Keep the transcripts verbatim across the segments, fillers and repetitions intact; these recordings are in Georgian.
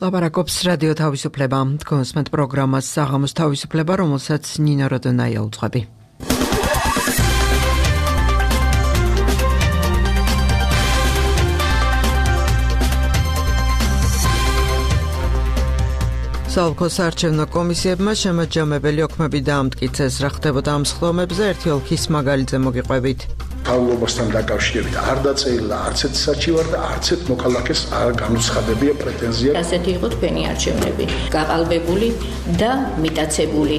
ლაპარაკობს რადიო თავისუფლება. კონსმენტ პროგრამას საღამოს თავისუფლება, რომელსაც ნინა როდონაია უძღვები. საოლქოს საარჩევნო კომისიებმა შემაჯამებელი ოქმები დაამტკიცეს, რა ხდებოდა ამ სხდომებზე ერთი ოლქის მაგალითზე მოგიყვებით. თავმოყრობასთან დაკავშირებით არ დაწერილა არც ერთ საჩივარ და არც ერთ მოქალაქეს არ განუცხადებია პრეტენზია. ასეთი იყო თქვენი არჩევნები, გაყალბებული და მიტაცებული.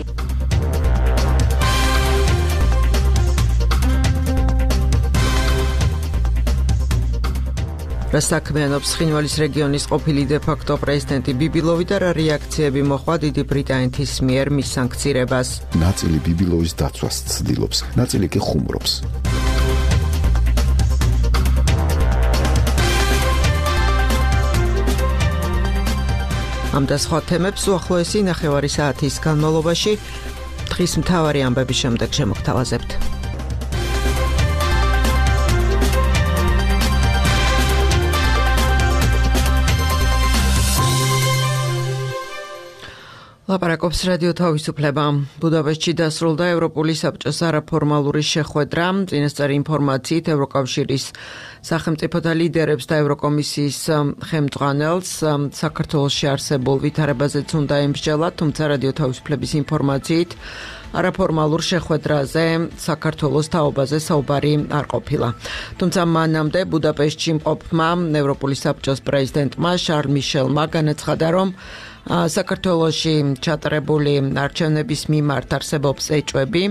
რა საქმიანობს ცხინვალის რეგიონის ყოფილი დე-ფაქტო პრეზიდენტი ბიბილოვი და რა რეაქციები მოხდა დიდი ბრიტანეთის მიერ მის სანქცირებას. ნაწილი ბიბილოვის დაცვას ცდილობს, ნაწილი კი ხუმრობს. ამ და სხვა თემებს უახლოესი ნახევარი საათის განმავლობაში დღის მთავარი ამბების შემდეგ შემოგთავაზებთ. ლაპარაკობს რადიო თავისუფლება. ბუდაპეშტში დასრულდა ევროპული საბჭოს არაფორმალური შეხვედრა. წინასწარი ინფორმაციით ევროკავშირის სახელმწიფოთა ლიდერებს და ევროკომისიის ხელმძღვანელს საქართველოში არსებულ ვითარებაზეც უნდა ემსჯელა, თუმცა რადიო თავისუფლების ინფორმაციით არაფორმალურ შეხვედრაზე საქართველოს თაობაზე საუბარი არ ყოფილა. თუმცა მანამდე ბუდაპეშტში მყოფმა ევროპული საბჭოს პრეზიდენტმა შარლ მიშელმა განაცხადა, რომ საქართველოში ჩატარებული არჩევნების მიმართ არსებობს ეჭვები,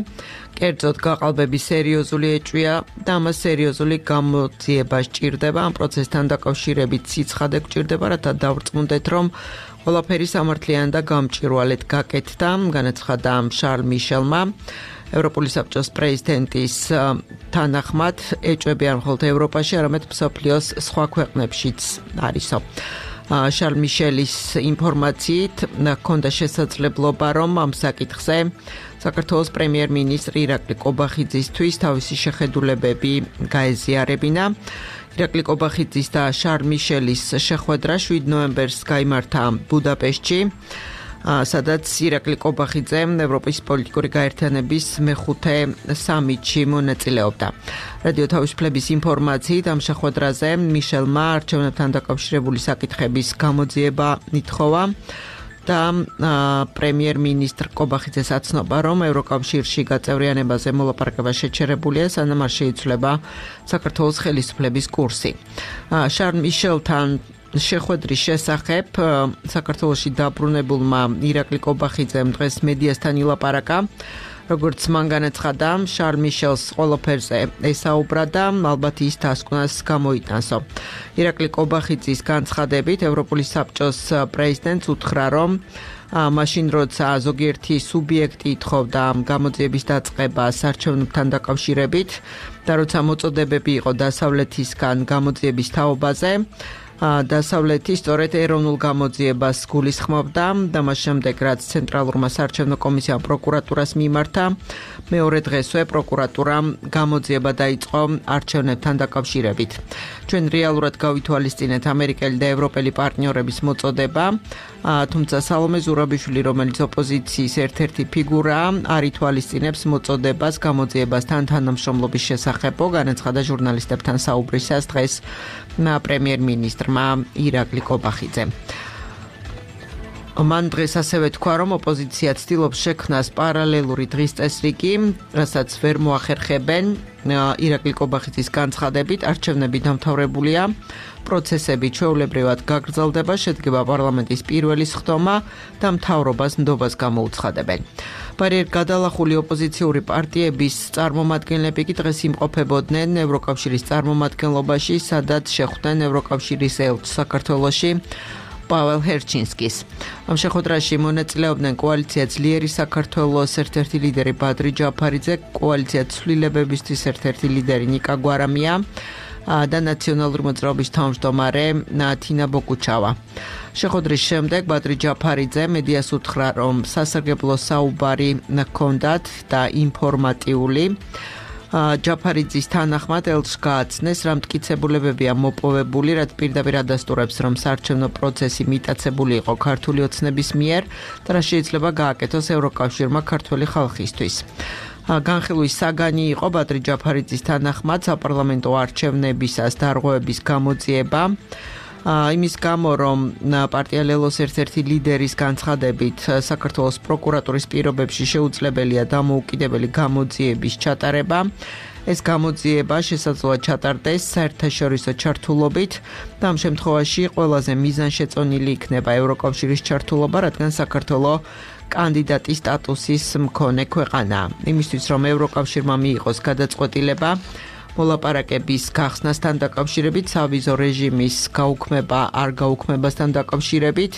კერძოდ გაყალბების სერიოზული ეჭვია და ამას სერიოზული გამოძიება სჭირდება. ამ პროცესთან დაკავშირებით სიცხადე გვჭირდება, რათა დავრწმუნდეთ, რომ ყველაფერი სამართლიანი და გამჭვირვალედ გაკეთდა, განაცხადა შარლ მიშელმა. ევროპული საბჭოს პრეზიდენტის თანახმად ეჭვები არ მხოლოდ ევროპაში, არამედ მსოფლიოს სხვა ქვეყნებშიც არისო. შარლ მიშელის ინფორმაციით ჰქონდა შესაძლებლობა, რომ ამ საკითხზე საქართველოს პრემიერ-მინისტრი ირაკლი ყობახიძისთვის თავისი შეხედულებები გაეზიარებინა. ირაკლი ყობახიძის და შარლ მიშელის შეხვედრა შვიდ ნოემბერს გაიმართა ბუდაპეშტში, სადაც ირაკლი ყობახიძე ევროპის პოლიტიკური გაერთიანების მეხუთე სამიტში მონაწილეობდა. რადიო თავისუფლების ინფორმაციით ამ შეხვედრაზე მიშელმა არჩევნებთან დაკავშირებული საკითხების გამოძიება ითხოვა და პრემიერ-მინისტრ ყობახიძეს აცნობა, რომ ევროკავშირში გაწევრიანებაზე მოლაპარაკება შეჩერებულია, სანამ არ შეიცვლება საქართველოს ხელისუფლების კურსი. შარლ მიშელთან შეხვედრის შესახებ საქართველოში დაბრუნებულმა ირაკლი ყობახიძემ დღეს მედიასთან ილაპარაკა. როგორც მან განაცხადა, შარლ მიშელს ყველაფერზე ესაუბრა და ალბათ ის დასკვნას გამოიტანსო. ირაკლი ყობახიძის განცხადებით ევროპული საბჭოს პრეზიდენტს უთხრა, რომ მაშინ როცა ზოგიერთი სუბიექტი ითხოვდა გამოძიების დაწყებას არჩევნებთან დაკავშირებით და როცა მოწოდებები იყო დასავლეთისგან გამოძიების თაობაზე, დასავლეთი სწორედ ეროვნულ გამოძიებას გულისხმობდა და მას შემდეგ რაც ცენტრალურმა საარჩევნო კომისიამ პროკურატურას მიმართა, მეორე დღესვე პროკურატურამ გამოძიება დაიწყო არჩევნებთან დაკავშირებით. ჩვენ რეალურად გავითვალისწინეთ ამერიკელი და ევროპელი პარტნიორების მოწოდება, თუმცა სალომე ზურაბიშვილი, რომელიც ოპოზიციის ერთ-ერთი ფიგურაა, არ ითვალისწინებს მოწოდებას გამოძიებასთან თანამშრომლობის შესახებო, განაცხადა ჟურნალისტებთან საუბრისას დღეს პრემიერ-მინისტრმა ირაკლი ყობახიძემ. მან დღეს ასევე თქვა, რომ ოპოზიცია ცდილობს შექმნას პარალელური დღის წესრიგი, რასაც ვერ მოახერხებენ. ირაკლი ყობახიძის განცხადებით არჩევნები დამთავრებულია, პროცესები ჩვეულებრივად გაგრძელდება, შედგება პარლამენტის პირველი სხდომა და მთავრობას ნდობას გამოუცხადებენ. ბარიერ გადალახული ოპოზიციური პარტიების წარმომადგენლები კი დღეს იმყოფებოდნენ ევროკავშირის წარმომადგენლობაში, სადაც შეხვდნენ ევროკავშირის ელჩს საქართველოში პაველს ჰერჩინსკის. ამ შეხვედრაში მონაწილეობდნენ კოალიცია ძლიერი საქართველოს ერთ-ერთი ლიდერი ბადრი ჯაფარიძე, კოალიცია ცვლილებებისთვის ერთ-ერთი ლიდერი ნიკა გვარამია და ნაციონალური მოძრაობის თავმჯდომარე თინა ბოკუჩავა. შეხვედრის შემდეგ ბადრი ჯაფარიძე მედიას უთხრა, რომ სასარგებლო საუბარი ჰქონდათ და ინფორმატიული. ჯაფარიძის თანახმად ელჩს გააცნეს, რა მტკიცებულებებია მოპოვებული, რაც პირდაპირ ადასტურებს, რომ საარჩევნო პროცესი მიტაცებული იყო ქართული ოცნების მიერ და რა შეიძლება გააკეთოს ევროკავშირმა ქართველი ხალხისთვის. განხილვის საგანი იყო ბადრი ჯაფარიძის თანახმად საპარლამენტო არჩევნებისას დარღვევების გამოძიება. იმის გამო, რომ პარტია ლელოს ერთ-ერთი ლიდერის განცხადებით საქართველოს პროკურატურის პირობებში შეუძლებელია დამოუკიდებელი გამოძიების ჩატარება. ეს გამოძიება შესაძლოა ჩატარდეს საერთაშორისო ჩართულობით და ამ შემთხვევაში ყველაზე მიზანშეწონილი იქნება ევროკავშირის ჩართულობა, რადგან საქართველო კანდიდატის სტატუსის მქონე ქვეყანაა. იმისთვის, რომ ევროკავშირმა მიიღოს გადაწყვეტილება მოლაპარაკების გახსნასთან დაკავშირებით, სავიზო რეჟიმის გაუქმება არ გაუქმებასთან დაკავშირებით,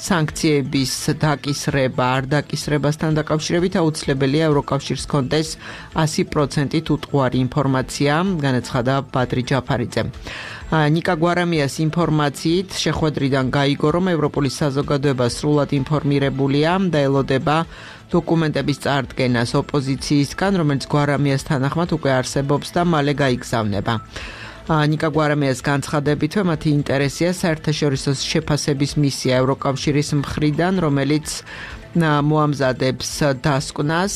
სანქციების დაკისრება არ დაკისრებასთან დაკავშირებით აუცილებელია ევროკავშირს ჰქონდეს ასი პროცენტით უტყუარი ინფორმაცია, განაცხადა ბადრი ჯაფარიძემ. ნიკა გვარამიას ინფორმაციით შეხვედრიდან გაიგო, რომ ევროპული საზოგადოება სრულად ინფორმირებულია და ელოდება დოკუმენტების წარდგენას ოპოზიციისგან, რომელიც გვარამიას თანახმად უკვე არსებობს და მალე გაიგზავნება. ნიკა გვარამიას განცხადებითვე მათი ინტერესია საერთაშორისო შეფასების მისია ევროკავშირის მხრიდან, რომელიც მოამზადებს დასკვნას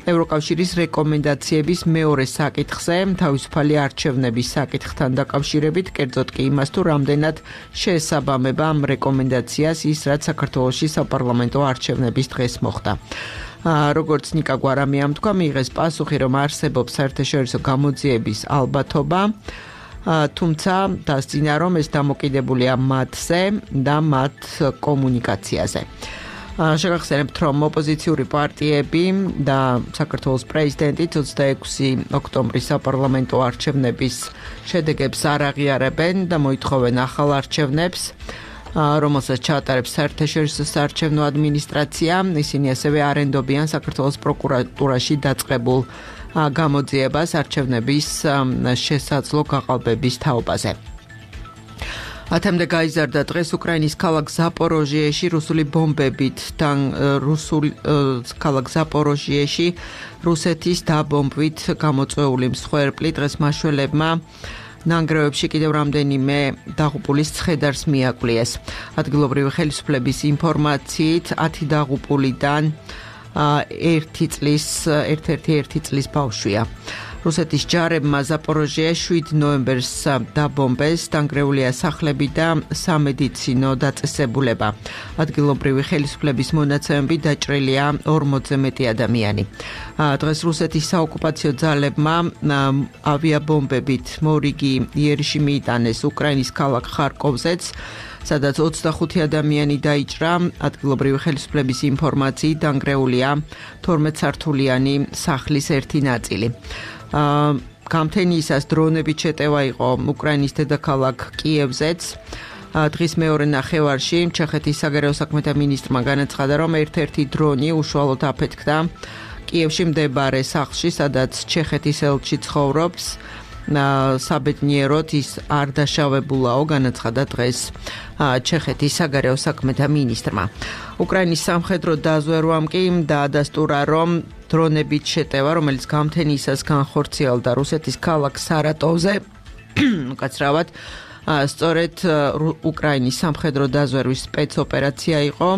ევროკავშირის რეკომენდაციების მეორე საკითხზე, თავისუფალი არჩევნების საკითხთან დაკავშირებით, კერძოდ კი იმას, თუ რამდენად შეესაბამება ამ რეკომენდაციას ის, რაც საქართველოში საპარლამენტო არჩევნების დღეს მოხდა. როგორც ნიკა გვარამიამ თქვა, მიიღეს პასუხი, რომ არსებობს საერთაშორისო გამოძიების ალბათობა, თუმცა დასძინა, რომ ეს დამოკიდებულია მათზე და მათ კომუნიკაციაზე. შეგახსენებთ, რომ ოპოზიციური პარტიები და საქართველოს პრეზიდენტი ოცდაექვსი ოქტომბრის საპარლამენტო არჩევნების შედეგებს არ აღიარებენ და მოითხოვენ ახალ არჩევნებს, რომელსაც ჩაატარებს საერთაშორისო საარჩევნო ადმინისტრაცია. ისინი ასევე არენდობიან საქართველოს პროკურატურაში დაწყებულ გამოძიებას არჩევნების შესაძლო გაყალბების თაობაზე. ათამდე გაიზარდა დღეს უკრაინის ქალაქ ზაპოროჟიეში რუსული ბომბებით და რუსული ქალაქ ზაპოროჟიეში რუსეთის დაბომბვით გამოწვეული მსხვერპლი დღეს მაშველებმა ნანგრევებში კიდევ რამდენიმე დაღუპულის ცხედარს მიაკვლიეს. ადგილობრივი ხელისუფლების ინფორმაციით ათი დაღუპულიდან ერთი წლის ერთ-ერთი ერთი წლის ბავშვია. რუსეთის ჯარებმა ზაპოროჟიეს შვიდ ნოემბერს დაბომბეს, დანგრეულია სახლები და სამედიცინო დაწესებულება. ადგილობრივი ხელისუფლების მონაცემებით დაჭრილია ორმოცზე მეტი ადამიანი. დღეს რუსეთის საოკუპაციო ძალებმა ავიაბომბებით მორიგი იერიში მიიტანეს უკრაინის ქალაქ ხარკოვზეც, სადაც ოცდახუთი ადამიანი დაიჭრა. ადგილობრივი ხელისუფლების ინფორმაციით დანგრეულია თორმეტ სართულიანი სახლის ერთი ნაწილი. გამთენიისას დრონებით შეტევა იყო უკრაინის დედაქალაქ კიევზეც. დღის მეორე ნახევარში ჩეხეთის საგარეო საქმეთა მინისტრმა განაცხადა, რომ ერთ-ერთი დრონი უშუალოდ აფეთქდა კიევში მდებარე სახლში, სადაც ჩეხეთის ელჩი ცხოვრობს. საბედნიეროდ ის არ დაშავებულაო, განაცხადა დღეს ჩეხეთის საგარეო საქმეთა მინისტრმა. უკრაინის სამხედრო დაზვერვამ კი დაადასტურა, რომ დრონებით შეტევა, რომელიც გამთენიისას განხორციელდა რუსეთის ქალაქ სარატოვზე, უკაცრავად სწორედ უკრაინის სამხედრო დაზვერვის სპეცოპერაცია იყო.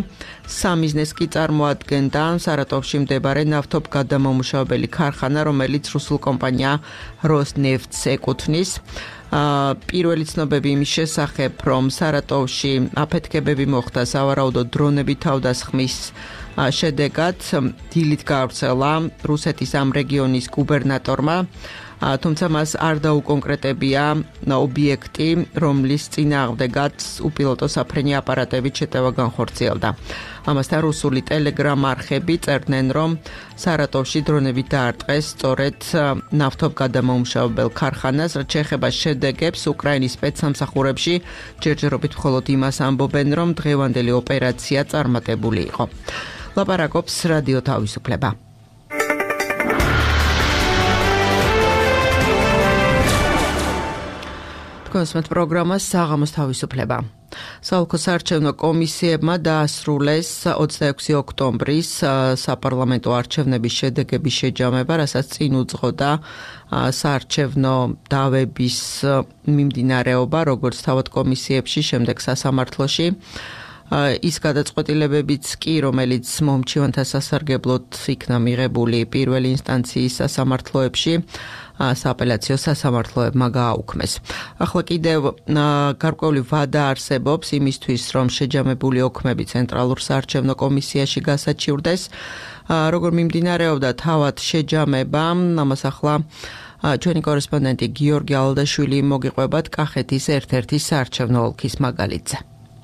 სამიზნეს კი წარმოადგენდა სარატოვში მდებარე ნავთობგადამამუშავებელი ქარხანა, რომელიც რუსულ კომპანია როსნეფტს ეკუთვნის. პირველი ცნობები იმის შესახებ, რომ სარატოვში აფეთქებები მოხდა სავარაუდოდ დრონების თავდასხმის შედეგად, დილით გავრცელა რუსეთის ამ რეგიონის გუბერნატორმა, თუმცა მას არ დაუკონკრეტებია ობიექტი, რომლის წინააღმდეგაც უპილოტო საფრენი აპარატებით შეტევა განხორციელდა. ამასთან რუსული ტელეგრამ არხები წერდნენ, რომ სარატოვში დრონებით დაარტყეს სწორედ ნავთობგადამამუშავებელ ქარხანას, რაც შეეხება შედეგებს უკრაინის სპეცსამსახურებში ჯერჯერობით მხოლოდ იმას ამბობენ, რომ დღევანდელი ოპერაცია წარმატებული იყო. ლაპარაკობს რადიო თავისუფლება. თქვენს პროგრამას საღამოს თავისუფლება. საოლქო საარჩევნო კომისიებმა დაასრულეს ოცდაექვსი ოქტომბრის საპარლამენტო არჩევნების შედეგების შეჯამება, რასაც წინ უძღოდა საარჩევნო დავების მიმდინარეობა, როგორც თავად კომისიებში, შემდეგ სასამართლოში. ის გადაწყვეტილებებიც კი, რომელიც მომჩივანთა სასარგებლოდ იქნა მიღებული პირველი ინსტანციის სასამართლოებში, სააპელაციო სასამართლოებმა გააუქმეს. ახლა კიდევ გარკვეული ვადა არსებობს იმისთვის, რომ შეჯამებული ოქმები ცენტრალურ საარჩევნო კომისიაში გასაჩივრდეს. როგორ მიმდინარეობდა თავად შეჯამება, ამას ახლა ჩვენი კორესპონდენტი გიორგი ალდაშვილი მოგიყვებათ კახეთის ერთ-ერთი საარჩევნო ოლქის მაგალითზე.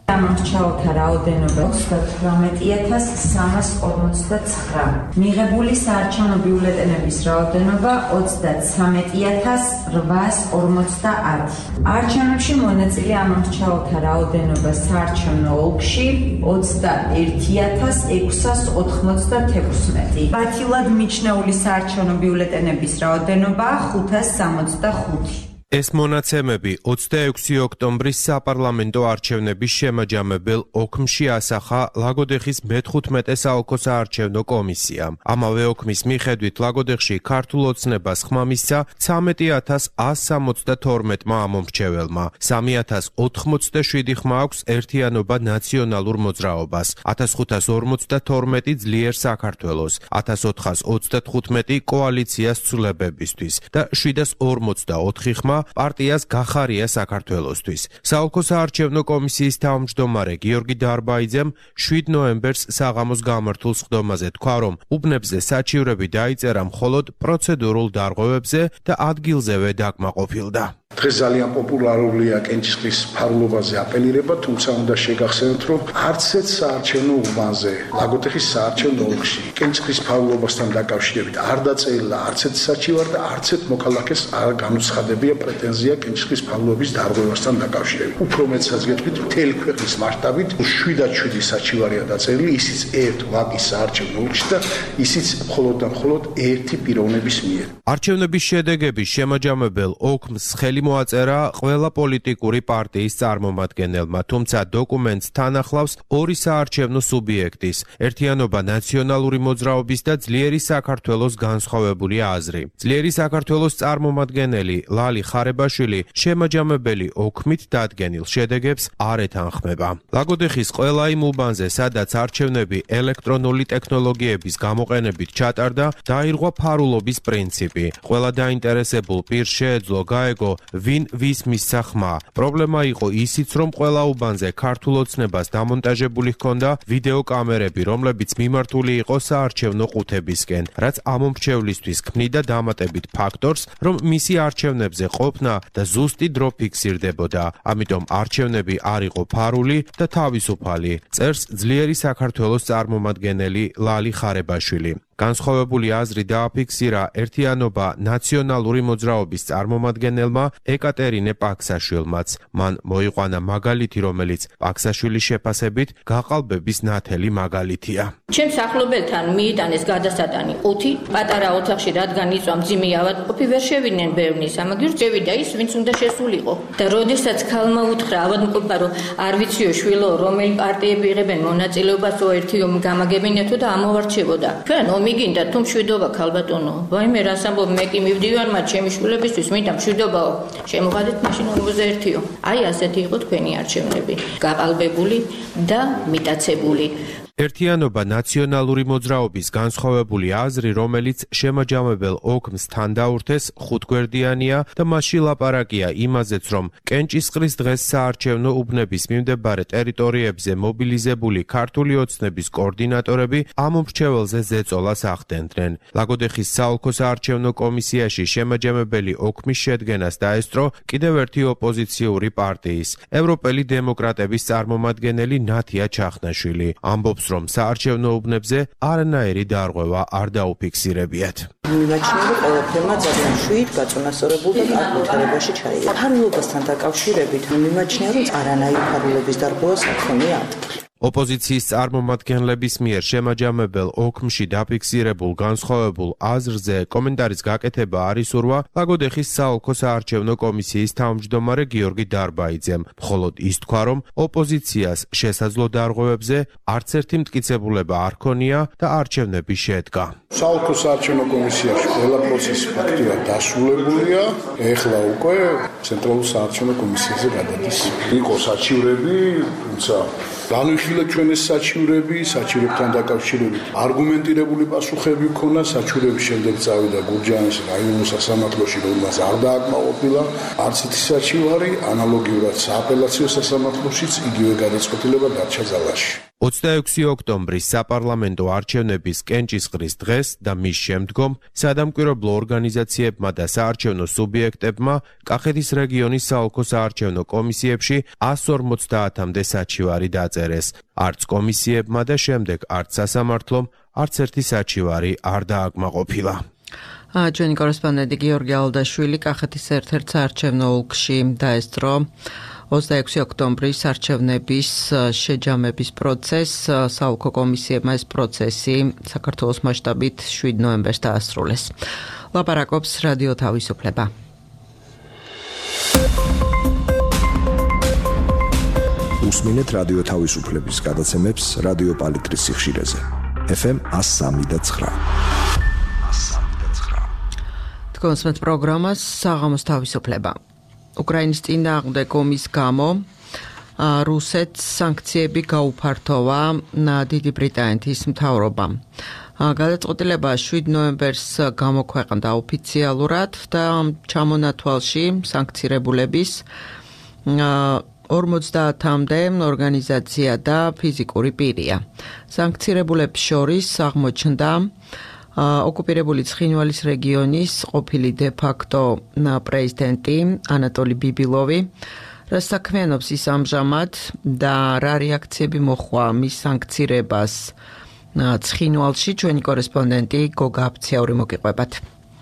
გამორჩეულთა რაოდენობა ოცდათვრამეტი ათას სამას ორმოცდაცხრა. მიღებული საარჩევნო ბიულეტენების რაოდენობა ოცდათვრამეტი ათას რვაას ორმოცდაათი. არჩევნებში მონაწილე ამორჩეულთა რაოდენობა საარჩევნო ოლქში ოცდაერთი ათას ექვსას ოთხმოცდათექვსმეტი. ბათილად მიჩნეული საარჩევნო ბიულეტენების რაოდენობა ხუთას სამოცდახუთი. ეს მონაცემები ოცდაექვსი ოქტომბრის საპარლამენტო არჩევნების შემაჯამებელ ოქმში ასახა ლაგოდეხის მეთხუთმეტე საოლქო საარჩევნო კომისიამ. ამავე ოქმის მიხედვით ლაგოდეხში ქართულ ოცნებას ხმა მისცა ცამეტი ათას ას სამოცდათორმეტმა ამომრჩეველმა. სამი ათას ოთხმოცდაშვიდი ხმა აქვს ერთიანობა ნაციონალურ მოძრაობას, ათას ხუთას ორმოცდათორმეტი ძლიერ საქართველოს, ათას ოთხას ოცდათხუთმეტი კოალიციას ცვლილებებისთვის და შვიდას ორმოცდაოთხი ხმა პარტიას გახარია საქართველოსთვის. საოლქო საარჩევნო კომისიის თავმჯდომარე გიორგი დარბაიძემ შვიდ ნოემბერს საღამოს გამართულ სხდომაზე თქვა, რომ უბნებზე საჩივრები დაიწერა მხოლოდ პროცედურულ დარღვევებზე და ადგილზევე დაკმაყოფილდა. დღეს ძალიან პოპულარულია კენჭისყრის ფარულობაზე აპელირება, თუმცა უნდა შეგახსენოთ, რომ არც ერთ საარჩევნო უბანზე, ლაგოდეხის საარჩევნო ოლქში, კენჭისყრის ფარულობასთან დაკავშირებით არ დაწერილა არც ერთ საჩივარ და არც ერთ მოქალაქეს არ განუცხადებია პრეტენზია კენჭისყრის ფარულობის დარღვევასთან დაკავშირებით. უფრო მეტსაც გეტყვით, მთელი ქვეყნის მასშტაბით შვიდად შვიდი საჩივარია დაწერილი, ისიც ერთ ვაკის საარჩევნო ოლქში და ისიც მხოლოდ და მხოლოდ ერთი პიროვნების მიერ. არჩევნების შედეგების შემაჯამებელ ოქმს ხელი მოაწერა ყველა პოლიტიკური პარტიის წარმომადგენელმა, თუმცა დოკუმენტს თან ახლავს ორი საარჩევნო სუბიექტის, ერთიანობა ნაციონალური მოძრაობის და ძლიერი საქართველოს განსხვავებული აზრი. ძლიერი საქართველოს წარმომადგენელი ლალი ხარებაშვილი შემაჯამებელი ოქმით დადგენილ შედეგებს არ ეთანხმება. ლაგოდეხის ყველა იმ უბანზე, სადაც არჩევნები ელექტრონული ტექნოლოგიების გამოყენებით ჩატარდა, დაირღვა ფარულობის პრინციპი. ყველა დაინტერესებულ პირს შეეძლო გაეგო ვინ ვის მისცა ხმა. პრობლემა იყო ისიც, რომ ყველა უბანზე ქართულ ოცნებას დამონტაჟებული ჰქონდა ვიდეო კამერები, რომლებიც მიმართული იყო საარჩევნო ყუთებისკენ, რაც ამომრჩევლისთვის ქმნიდა დამატებით ფაქტორს, რომ მისი არჩევნებზე ყოფნა და ზუსტი დრო ფიქსირდებოდა. ამიტომ არჩევნები არ იყო ფარული და თავისუფალი, წერს ძლიერი საქართველოს წარმომადგენელი ლალი ხარებაშვილი. განსხვავებული აზრი დააფიქსირა ერთიანობა ნაციონალური მოძრაობის წარმომადგენელმა ეკატერინე პაქსაშვილმაც. მან მოიყვანა მაგალითი, რომელიც პაქსაშვილის შეფასებით გაყალბების ნათელი მაგალითია. ჩემს ახლობელთან მიიტანეს გადასატანი ყუთი, პატარა ოთახში რადგან იწვა მძიმე ავადმყოფი ვერ შევიდნენ ბევრნი, ამაგერ შევიდა ის, ვინც უნდა შესულიყო. და როდესაც ქალმა უთხრა ავადმყოფა, რომ არ ვიციო შვილო, რომელი პარტიები იღებენ მონაწილეობას ერთი ომი გამაგებინეთო და ამოვარჩევოდა. ჩვენ მიგინდა თუ მშვიდობა ქალბატონო. ვაიმე რას ამბობ, მე კი მივდივარ მათ ჩემი შვილებისთვის, მინდა მშვიდობაო. შემოღადეთ მაშინ ორმოცდაერთიო. აი ასეთი იყო თქვენი არჩევნები. გაყალბებული და მიტაცებული. ერთიანობა ნაციონალური მოძრაობის განსხვავებული აზრი, რომელიც შემაჯამებელ ოქმს თან დაურთეს, ხუთგვერდიანია და მასში ლაპარაკია იმაზეც, რომ კენჭისყრის დღეს საარჩევნო უბნების მიმდებარე ტერიტორიებზე მობილიზებული ქართული ოცნების კოორდინატორები ამომრჩეველზე ზეწოლას ახდენდნენ. ლაგოდეხის საოლქო საარჩევნო კომისიაში შემაჯამებელი ოქმის შედგენას დაესწრო კიდევ ერთი ოპოზიციური პარტიის, ევროპელი დემოკრატების წარმომადგენელი ნათია ჩახნაშვილი. ამბობს, რომ საარჩევნო უბნებზე არანაირი დარღვევა არ დაუფიქსირებიათ. მიმაჩნია, რომ ყველაფერმა ძალიან შვიდ, გაწონასწორებულ და კარგ ვითარებაში ჩაიგდა. ფარულობასთან დაკავშირებით მიმაჩნია, რომ არანაირი ფარულობის დარღვევა საქმეა. ოპოზიციის წარმომადგენლების მიერ შემაჯამებელ ოქმში დაფიქსირებულ განსხვავებულ აზრზე კომენტარის გაკეთება არ ისურვა ლაგოდეხის საოლქო საარჩევნო კომისიის თავმჯდომარე გიორგი დარბაიძემ, მხოლოდ ის თქვა, რომ ოპოზიციას შესაძლო დარღვევებზე არც ერთი მტკიცებულება არ ქონია და არჩევნები შედგა. საოლქო საარჩევნო კომისიაში ყველა პროცესი ფაქტიურად დასრულებულია, ეხლა უკვე ცენტრალურ საარჩევნო კომისიაზე გადადის. იყო საჩივრები, თუმცა განვიხილეთ ჩვენ ეს საჩივრები, საჩივრებთან დაკავშირებით არგუმენტირებული პასუხები ქონა, საჩივრების შემდეგ წავიდა გურჯაანის რაიონულ სასამართლოში, რომელსაც არ დააკმაყოფილა არც ერთი საჩივარი, ანალოგიურად სააპელაციო სასამართლოშიც იგივე გადაწყვეტილება დარჩა ძალაში. ოცდაექვსი ოქტომბრის საპარლამენტო არჩევნების კენჭისყრის დღეს და მის შემდგომ სადამკვირვებლო ორგანიზაციებმა და საარჩევნო სუბიექტებმა კახეთის რეგიონის საოლქო საარჩევნო კომისიებში εκατს ორმოცდაათამდე საჩივარი დაწერეს. არც კომისიებმა და შემდეგ არც სასამართლომ არც ერთი საჩივარი არ დააკმაყოფილა. ჩვენი კორესპონდენტი გიორგი ალდაშვილი კახეთის ერთ-ერთ საარჩევნო ოლქში დაესწრო ოცდაექვსი ოქტომბრის არჩევნების შეჯამების პროცესს. საოლქო კომისიებმა ეს პროცესი საქართველოს მასშტაბით შვიდ ნოემბერს დაასრულეს. ლაპარაკობს რადიო თავისუფლება. უსმინეთ რადიო თავისუფლების გადაცემებს რადიო პალიტრის სიხშირეზე. ეფ ემ εκατს სამი და ცხრა. თქვენს პროგრამას საღამოს თავისუფლება. უკრაინის წინააღმდეგ ომის გამო რუსეთს სანქციები გაუფართოვა დიდი ბრიტანეთის მთავრობამ. გადაწყვეტილება შვიდ ნოემბერს გამოქვეყნდა ოფიციალურად და ჩამონათვალში სანქცირებულების ორმოცდაათამდე ორგანიზაცია და ფიზიკური პირია. სანქცირებულებს შორის აღმოჩნდა ოკუპირებული ცხინვალის რეგიონის ყოფილი დე-ფაქტო პრეზიდენტი ანატოლი ბიბილოვი, რაც საქმიანობს ის ამჟამად და რა რეაქციები მოჰყვა მის სანქცირებას ცხინვალში, ჩვენი კორესპონდენტი გოგა აფციური მოგიყვებათ.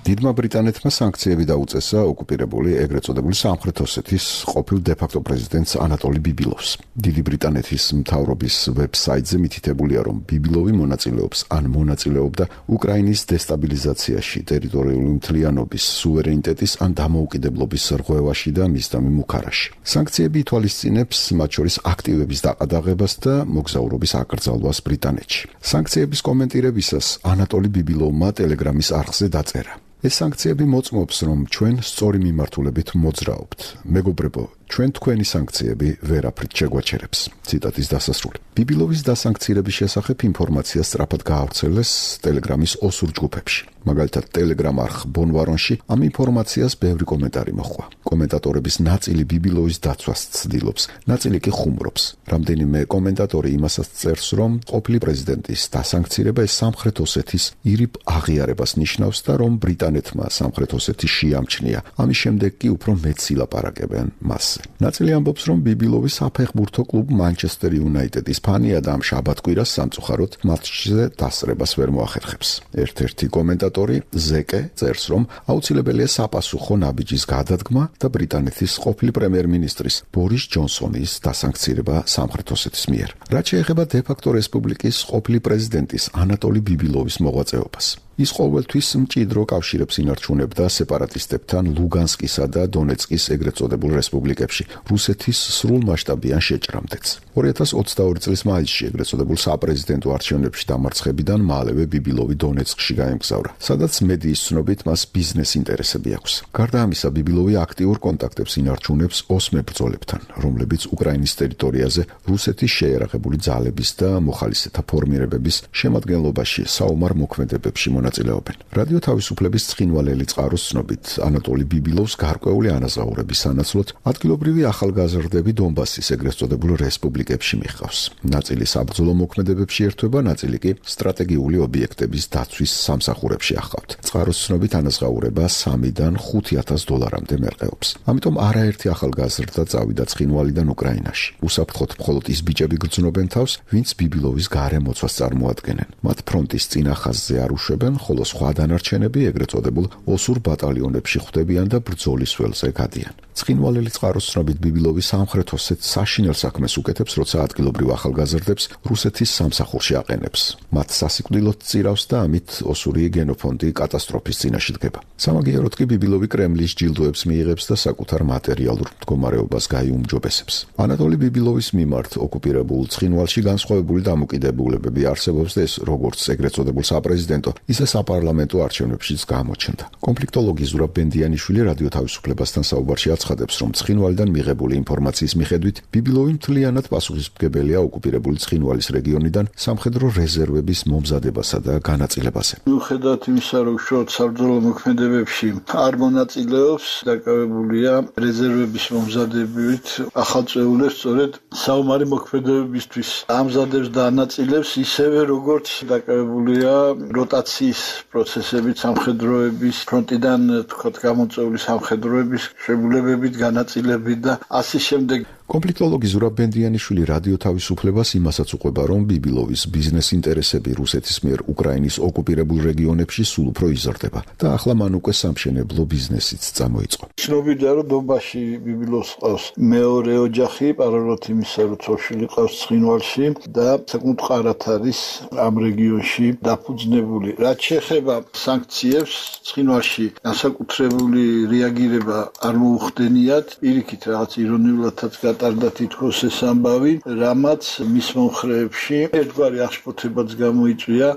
დიდმა ბრიტანეთმა სანქციები დაუწესა ოკუპირებული ეგრეთ წოდებული სამხრეთ ოსეთის ყოფილ დე-ფაქტო პრეზიდენტს ანატოლი ბიბილოვს. დიდი ბრიტანეთის მთავრობის ვებსაიტზე მითითებულია, რომ ბიბილოვი მონაწილეობს ან მონაწილეობდა უკრაინის დესტაბილიზაციაში, ტერიტორიული მთლიანობის, სუვერენიტეტის ან დამოუკიდებლობის რღვევაში და მისდამი მუქარაში. სანქციები ითვალისწინებს მათ შორის აქტივების დაყადაღებას და მოგზაურობის აკრძალვას ბრიტანეთში. სანქციების კომენტირებისას ანატოლი ბიბილოვმა ტელეგრამის არხზე დაწერა: ეს სანქციები მოწმობს, რომ ჩვენ სწორი მიმართულებით მოძრაობთ. მეგობრებო, ჩვენ თქვენი სანქციები ვერაფრით შეგვაჩერებს. ციტატის დასასრული. ბიბილოვის დასანქცირების შესახებ ინფორმაცია სწრაფად გაავრცელეს ტელეგრამის ოსურ ჯგუფებში. მაგალითად, ტელეგრამ არხ ბონვარონში ამ ინფორმაციას ბევრი კომენტარი მოჰყვა. კომენტატორების ნაწილი ბიბილოვის დაცვას ცდილობს, ნაწილი კი ხუმრობს. რამდენიმე კომენტატორი იმასაც წერს, რომ ყოფილი პრეზიდენტის დასანქცირება ეს სამხრეთ ოსეთის ირიბ აღიარებას ნიშნავს და რომ ბრიტანეთმა სამხრეთ ოსეთი შეამჩნია. ამის შემდეგ კი უფრო მეტს ილაპარაკებენ მასზე. ნაწილი ამბობს, რომ ბიბილოვი საფეხბურთო კლუბ მანჩესტერ იუნაიტედის ფანია და ამ შაბათ-კვირას სამწუხაროდ მატჩზე დასწრებას ვერ მოახერხებს. ერთ-ერთი კომენტატორი ზეკე წერს, რომ აუცილებელია საპასუხო ნაბიჯის გადადგმა და ბრიტანეთის ყოფილი პრემიერ-მინისტრის ბორის ჯონსონის დასანქცირება სამხრეთ ოსეთის მიერ. რაც შეეხება დე-ფაქტო რესპუბლიკის ყოფილი პრეზიდენტის ანატოლი ბიბილოვის მოღვაწეობას. ის ყოველთვის მჭიდრო კავშირებს ინარჩუნებდა სეპარატისტებთან ლუგანსკისა და დონეცკის ეგრეთ წოდებულ რესპუბლიკებში რუსეთის სრულმასშტაბიან შეჭრამდეც. ორი ათას ოცდაორი წლის მაისში ეგრეთ წოდებულ საპრეზიდენტო არჩევნებში დამარცხებიდან მალევე ბიბილოვი დონეცკში გაემგზავრა, სადაც მედიის ცნობით მას ბიზნეს ინტერესები აქვს. გარდა ამისა, ბიბილოვი აქტიურ კონტაქტებს ინარჩუნებს ოს მებრძოლებთან, რომლებიც უკრაინის ტერიტორიაზე რუსეთის შეიარაღებული ძალების და მოხალისეთა ფორმირებების შემადგენლობაში საომარ მოქმედებებში მონაწილეობენ. რადიო თავისუფლების ცხინვალელი წყაროს ცნობით, ანატოლი ბიბილოვს გარკვეული ანაზღაურების სანაცვლოდ ადგილობრივი ახალგაზრდები დონბასის ეგრეთ წოდებულ რესპუბლიკებში მიჰყავს. ნაწილი საბრძოლო მოქმედებებში ერთვება, ნაწილი კი სტრატეგიული ობიექტების დაცვის სამსახურებში ახავთ. წყაროს ცნობით ანაზღაურება სამიდან ხუთი ათას დოლარამდე მერყეობს. ამიტომ არაერთი ახალგაზრდა წავიდა ცხინვალიდან უკრაინაში. უსაფრთხოდ მხოლოდ ის ბიჭები გრძნობენ თავს, ვინც ბიბილოვის გარემოცვას წარმოადგენენ. მათ ფრონტის წინა ხაზზე არ უშვებენ, გადიან, ხოლო სხვა დანარჩენები ეგრეთ წოდებულ ოსურ ბატალიონებში ხვდებიან და ბრძოლის ველზე გადიან. ცხინვალელი წყაროს ცნობით ბიბილოვი სამხრეთ ოსეთს საშინელ საქმეს უკეთებს, როცა ადგილობრივ ახალგაზრდებს რუსეთის სამსახურში აყენებს. მათ სასიკვდილოდ წირავს და ამით ოსური გენოფონდი კატასტროფის წინაშე დგება. სამაგიეროდ კი ბიბილოვი კრემლის ჯილდოებს მიიღებს და საკუთარ მატერიალურ მდგომარეობას გაიუმჯობესებს. ანატოლი ბიბილოვის მიმართ ოკუპირებულ ცხინვალში განსხვავებული დამოკიდებულებები არსებობს და ეს როგორც ეგრეთ წოდებულ საპრეზიდენტო, ისე საპარლამენტო არჩევნებშიც გამოჩნდა. კონფლიქტოლოგი ზურაბ ბენდიანიშვილი რადიო თავისუფლებასთან საუბარში აცხადებს, რომ ცხინვალიდან მიღებული ინფორმაციის მიხედვით ბიბილოვი მთლიანად პასუხისმგებელია ოკუპირებული ცხინვალის რეგიონიდან სამხედრო რეზერვების მომზადებასა და განაწილებაზე. მიუხედავად იმისა, რომ უშუალოდ საბრძოლო მოქმედებებში არ მონაწილეობს, დაკავებულია რეზერვების მომზადებით, ახალწეულებს სწორედ საომარი მოქმედებებისთვის ამზადებს და ანაწილებს, ისევე როგორც დაკავებულია როტაციის პროცესებით, სამხედროების ფრონტიდან თქვათ გამოწვეული სამხედროების შეგულებებით, განაწილებით და ასე შემდეგ. კონფლიქტოლოგი ზურაბ ბენდიანიშვილი რადიო თავისუფლებას იმასაც უყვება, რომ ბიბილოვის ბიზნეს ინტერესები რუსეთის მიერ უკრაინის ოკუპირებულ რეგიონებში სულ უფრო იზრდება და ახლა მან უკვე სამშენებლო ბიზნესიც წამოიწყო. ცნობილია, რომ დონბასში ბიბილოვს ყავს მეორე ოჯახი, პარალელურად იმისა, რომ ცოლ-შვილი ყავს ცხინვალში და საკმაოდ ყარათ არის ამ რეგიონში დაფუძნებული. რაც შეეხება სანქციებს, ცხინვალში განსაკუთრებული რეაგირება არ მოუხდენიათ, პირიქით რაღაც ირონიულადაც გატარდა თითქოს ეს ამბავი, რამაც მის მომხრეებში ერთგვარი აღშფოთებაც გამოიწვია.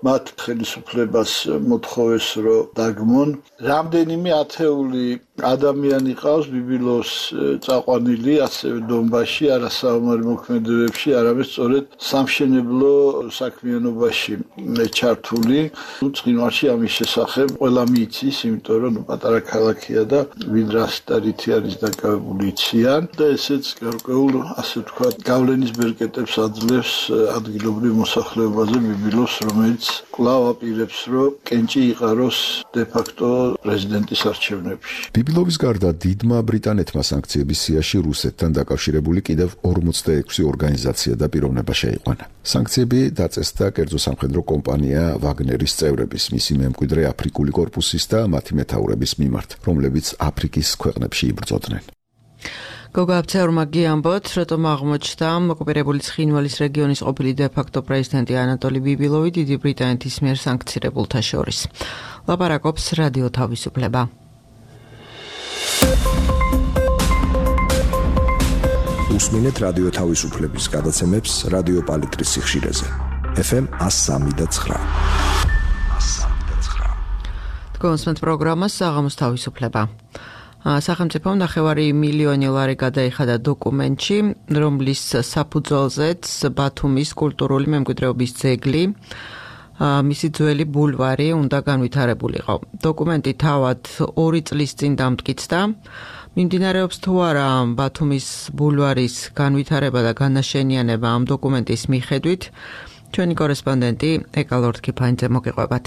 მათ ხელისუფლებას მოთხოვეს, რომ დაგმონ. რამდენიმე ათეული ადამიანი ყავს ბიბილოვს წაყვანილი ასევე დონბასში, არა საომარი მოქმედებებში, არამედ სწორედ სამშენებლო საქმიანობაში ჩართული. ცხინვალში ამის შესახებ ყველა მიიცის, იმიტომ რომ პატარა ქალაქია და ვინ რას და რითი არის დაკავებული იციან და ესეც გარკვეულ, ასე ვთქვათ, გავლენის ბერკეტებს აძლევს ადგილობრივ მოსახლეობაზე ბიბილოვს, რომელიც კვლავ აპირებს, რომ კენჭი იყაროს დე-ფაქტო პრეზიდენტის არჩევნებში. ბიბილოვის გარდა დიდმა ბრიტანეთმა სანქციების სიაში რუსეთთან დაკავშირებული კიდევ ორმოცდაექვსი ორგანიზაცია და პიროვნება შეიყვანა. სანქციები დაწესდა კერძო სამხედრო კომპანია ვაგნერის წევრების, მისი მემკვიდრე აფრიკული კორპუსის და მათი მეთაურების მიმართ, რომლებიც აფრიკის ქვეყნებში იბრძოდნენ. გოგა აფცეურმა გიამბოთ, რატომ აღმოჩნდა ოკუპირებული ცხინვალის რეგიონის ყოფილი დე-ფაქტო პრეზიდენტი ანატოლი ბიბილოვი დიდი ბრიტანეთის მიერ სანქცირებულთა შორის. ლაპარაკობს რადიო თავისუფლება. უსმინეთ რადიო თავისუფლების გადაცემებს რადიო პალიტრის სიხშირეზე. ეფ ემ one oh three point nine. თქვენს პროგრამას საღამოს თავისუფლება. სახელმწიფომ ნახევარი მილიონი ლარი გადაიხადა დოკუმენტში, რომლის საფუძველზეც ბათუმის კულტურული მემკვიდრეობის ძეგლი, მისი ძველი ბულვარი უნდა განვითარებულიყო. დოკუმენტი თავად ორი წლის წინ დამტკიცდა. მიმდინარეობს თუ არა ბათუმის ბულვარის განვითარება და განაშენიანება ამ დოკუმენტის მიხედვით, ჩვენი კორესპონდენტი ეკალორდ კიფაინძე მოგიყვებათ.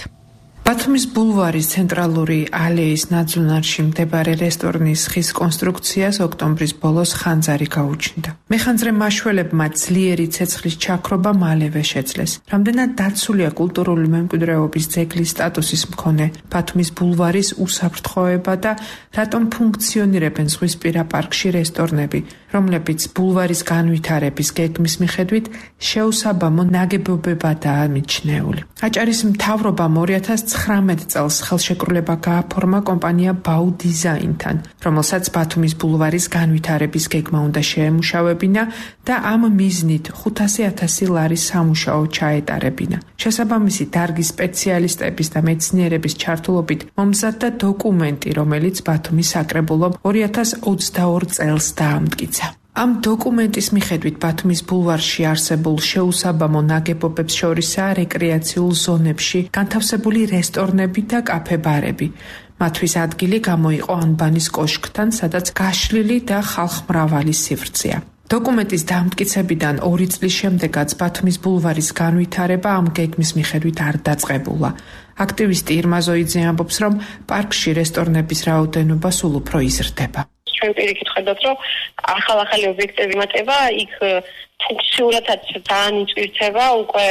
ბათუმის ბულვარის ცენტრალური ალეის ნაძვნარში მდებარე რესტორნის ხის კონსტრუქციას ოქტომბრის ბოლოს ხანძარი გაუჩნდა. მეხანძრე მაშველებმა ძლიერი ცეცხლის ჩაქრობა მალევე შეძლეს. რამდენად დაცულია კულტურული მემკვიდრეობის ძეგლის სტატუსის მქონე ბათუმის ბულვარის უსაფრთხოება და რატომ ფუნქციონირებენ ზღვისპირა პარკში რესტორნები, რომლებიც ბულვარის განვითარების გეგმის მიხედვით შეუსაბამო ნაგებობებადაა მიჩნეული. აჭარის მთავრობამ ორი ათას ცხრამეტ წელს ხელშეკრულება გააფორმა კომპანია ბაუ დიზაინთან, რომელსაც ბათუმის ბულვარის განვითარების გეგმა უნდა შეემუშავებინა და ამ მიზნით ხუთასი ათასი ლარის სამუშაო ჩაეტარებინა. შესაბამისი დარგის სპეციალისტების და მეცნიერების ჩართულობით მომზადდა დოკუმენტი, რომელიც ბათუმის საკრებულომ ორი ათას ოცდაორ წელს დაამტკიცა. ამ დოკუმენტის მიხედვით ბათუმის ბულვარში არსებულ შეუსაბამო ნაგებობებს შორისაა რეკრეაციულ ზონებში განთავსებული რესტორნები და კაფე-ბარები. მათთვის ადგილი გამოიყო ანბანის კოშკთან, სადაც გაშლილი და ხალხმრავალი სივრცეა. დოკუმენტის დამტკიცებიდან ორი წლის შემდეგაც ბათუმის ბულვარის განვითარება ამ გეგმის მიხედვით არ დაწყებულა. აქტივისტი ირმა ზოიძე ამბობს, რომ პარკში რესტორნების რაოდენობა სულ უფრო იზრდება. ჩვენ პირიქით ხედავთ, რომ ახალ-ახალი ობიექტები მატება, იქ ფუნქციურადაც ძალიან იწვირთება, უკვე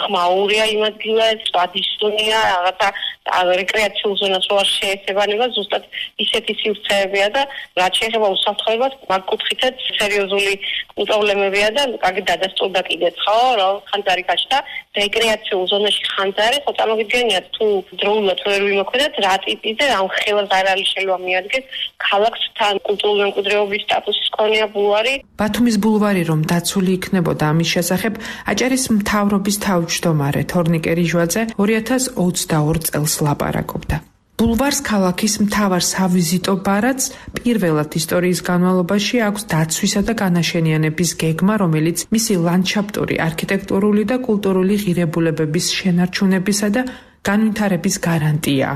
ხმაურია იმ ადგილას, ვადისუნია, რაღაცა რეკრეაციულ ზონას რო არ შეესაბამება, ზუსტად ისეთი სივრცეებია და რაც შეეხება უსაფრთხოებას, მაგ კუთხითაც სერიოზული პრობლემებია და კარგი დადასტურდა კიდეც, ხო, რომ ხანძარი გაჩნდა რეკრეაციულ ზონაში ხანძარი, ხო წარმოგიდგენიათ თუ დროულად ვერ ვიმოქმედოთ, რა ტიპის და რა ხელს არ არის შეიძლება მიადგეს ქალაქს თან კულტურული მემკვიდრეობის სტატუსის ქონია ბულვარი. ბათუმის ბულვარი რომ დაცული იქნებოდა ამის შესახებ, აჭარის მთავრობის თავმჯდომარე თორნიკე რიჟვაძე ორი ათას ოცდაორ წელს ლაპარაკობდა. ბულვარს ქალაქის მთავარ სავიზიტო ბარათს პირველად ისტორიის განმავლობაში აქვს დაცვისა და განაშენიანების გეგმა, რომელიც მისი ლანდშაფტური, არქიტექტურული და კულტურული ღირებულებების შენარჩუნებისა და განვითარების გარანტია.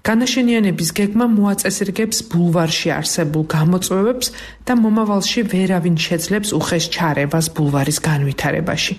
განაშენიანების გეგმა მოაწესრიგებს ბულვარში არსებულ გამოწვევებს და მომავალში ვერავინ შეძლებს უხეშ ჩარევას ბულვარის განვითარებაში.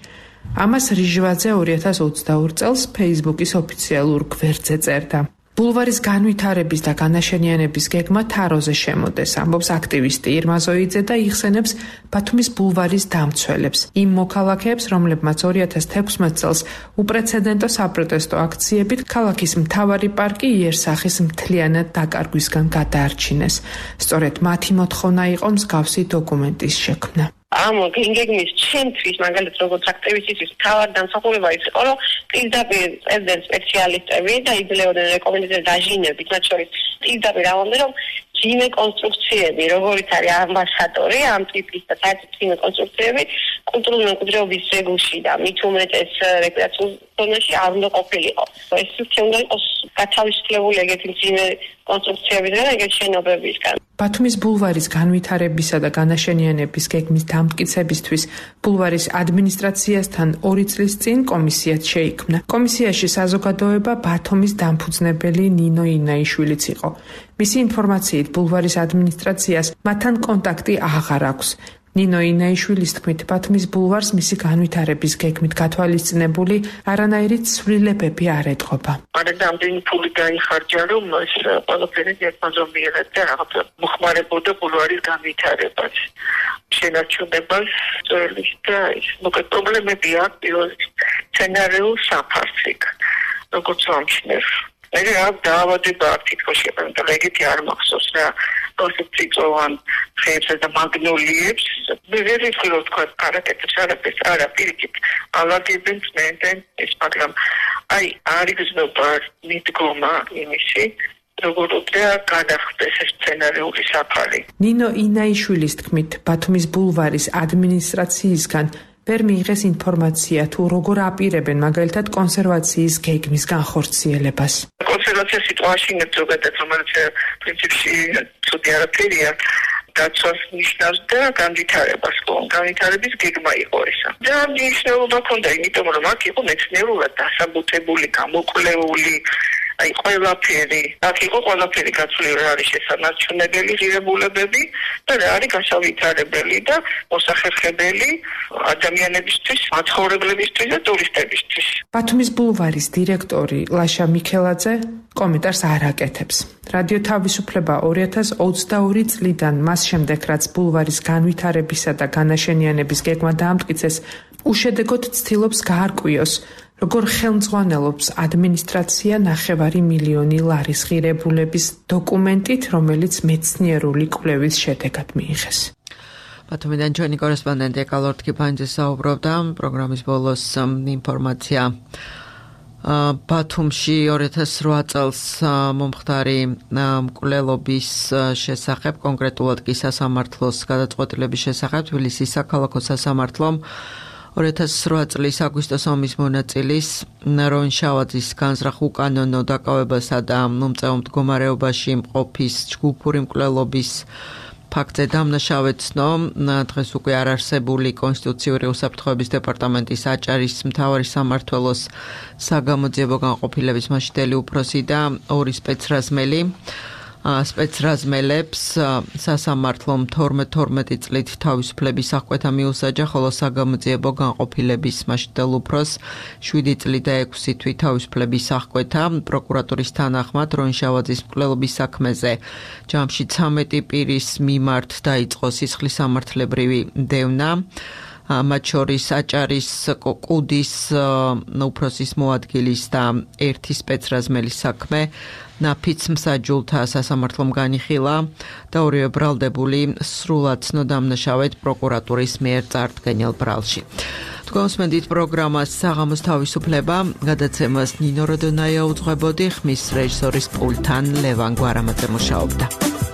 ამას რიჟვაძე ორი ათას ოცდაორ წელს Facebook-ის ოფიციალურ გვერდზე წერდა. ბულვარის განვითარების და განაშენიანების გეგმა თაროზე შემოდეს, ამბობს აქტივისტი ირმა ზოიძე და იხსენებს ბათუმის ბულვარის დამცველებს, იმ მოქალაქეებს, რომლებმაც ორი ათას თექვსმეტ წელს უპრეცედენტო საპროტესტო აქციებით ქალაქის მთავარი პარკი იერსახის მთლიანად დაკარგვისგან გადაარჩინეს. სწორედ მათი მოთხოვნა იყო მსგავსი დოკუმენტის შექმნა. ამ გეგმის ჩემთვის მაგალითად როგორც აქტივისტის თავად დამსახურება ის იყო, რომ პირდაპირ წერდნენ სპეციალისტები და იძლეოდნენ რეკომენდაციას დაჟინებით, მათ შორის პირდაპირ ამბობდნენ, რომ ძიმე კონსტრუქციები, როგორც არის ამბასადორი, ამ ტიპის და საერთოდ ძიმე კონსტრუქციები კულტურული მემკვიდრეობის ძეგლში და მით უმეტეს რეკრეაციულ ზონაში არ უნდა ყოფილიყო. ეს სივრცე უნდა იყოს გათავისუფლებული ეგეთი ძიმე კონსტრუქციებიდან და ეგეთი შენობებისგან. ბათუმის ბულვარის განვითარებისა და განაშენიანების გეგმის დამტკიცებისთვის ბულვარის ადმინისტრაციასთან ორი წლის წინ კომისიაც შეიქმნა. კომისიაში საზოგადოება ბათუმის დამფუძნებელი ნინო ინაიშვილიც იყო. მისი ინფორმაციით ბულვარის ადმინისტრაციას მათთან კონტაქტი აღარ აქვს. ნინო ინაიშვილის თქმით, ბათუმის ბულვარს მისი განვითარების გეგმით გათვალისწინებული არანაირი ცვლილებები არ ეტყობა. არადამდენი ფული გაიხარჯა, რომ ეს ყველაფერი ერთმანძომიერად და რაღაც მოხმარებოდა ბულვარის განვითარებას, შენარჩუნებას, ძვლის და ის მოკლედ პრობლემები აქვს პირველ სცენარიულ საფარს იქ, როგორც ამჩნევ. მე რა დაავადება აქვს თითქოს შეფერდა, ეგეთი არ მახსოვს რა. პროცესწოვან ხეებზე და მაგნოლიებს მე ვერ ვიცი რომ თქვა არაკეთებს არაფერს არა პირიქით ალაგებენ წმენდნენ ეს მაგრამ აი არის გზნობა მიდგომა იმისი როგორ უნდა გადახდეს ეს სცენარიული საფარი. ნინო ინაიშვილის თქმით, ბათუმის ბულვარის ადმინისტრაციისგან ვერ მიიღეს ინფორმაცია თუ როგორ აპირებენ მაგალითად კონსერვაციის გეგმის განხორციელებას. კონსერვაცია სიტუაციაში ზოგადად რომელიც პრინციპში ცუდი არაფერია დაცვას ნიშნავს და განვითარებას, განვითარების გეგმა იყო ესა. და მნიშვნელობა ჰქონდა, იმიტომ რომ აქ იყო მეცნიერულად დასაბუთებული, გამოკვლეული აი ყველაფერი, აქ იყო ყველაფერი გაცვლილი, რა არის შესანარჩუნებელი ღირებულებები და რა არის გასავითარებელი და მოსახერხებელი ადამიანებისთვის, მაცხოვრებლებისთვის და ტურისტებისთვის. ბათუმის ბულვარის დირექტორი ლაშა მიქელაძე კომენტარს არ აკეთებს. რადიო თავისუფლება ორი ათას ოცდაორი წლიდან მას შემდეგ, რაც ბულვარის განვითარებისა და განაშენიანების გეგმა დაამტკიცეს, უშედეგოდ ცდილობს გაარკვიოს, როგორ ხელმძღვანელობს ადმინისტრაცია ნახევარი მილიონი ლარის ღირებულების დოკუმენტით, რომელიც მეცნიერული კვლევის შედეგად მიიღეს. ბათუმიდან ჩვენი კორესპონდენტი ეკალორთ კიფანიძე საუბრობდა პროგრამის ბოლოს ინფორმაცია. ბათუმში ორი ათას რვა წელს მომხდარი მკვლელობის შესახებ, კონკრეტულად კი სასამართლოს გადაწყვეტილების შესახებ, თბილისის საქალაქო სასამართლომ ორი ათას რვა წლის აგვისტოს ომის მონაწილის როინ შავაძის განზრახ უკანონო დაკავებასა და მომწეო მდგომარეობაში მყოფის ჯგუფური მკვლელობის ფაქტზე დამნაშავეცნო. დღეს უკვე არ არსებული კონსტიტუციური უსაფრთხოების დეპარტამენტის აჭარის მთავარი სამმართველოს საგამოძიებო განყოფილების მასშტაბელი უფროსი და ორი სპეცრაზმელი სპეცრაზმელებს სასამართლომ თორმეტ თორმეტი წლით თავისუფლების აღკვეთა მიუსაჯა, ხოლო საგამოძიებო განყოფილების მასშტაბელ უფროს შვიდი წლით და ექვსი თვით თავისუფლების აღკვეთა. პროკურატურის თანახმად როინ შავაძის მკვლელობის საქმეზე ჯამში ცამეტი პირის მიმართ დაიწყო სისხლისამართლებრივი დევნა. მათ შორის აჭარის კუდის უფროსის მოადგილის და ერთი სპეცრაზმელის საქმე ნაფიც მსაჯულთა სასამართლომ განიხილა და ორივე ბრალდებული სრულად ცნო-დამნაშავედ პროკურატურის მიერ წარდგენილ ბრალში. თქვენსმენდით პროგრამას საღამოს თავისუფლება, გადაცემას ნინო როდონაია უძღვებოდი, ხმის რეჟისორის პულტთან ლევან გვარამაძე მუშაობდა.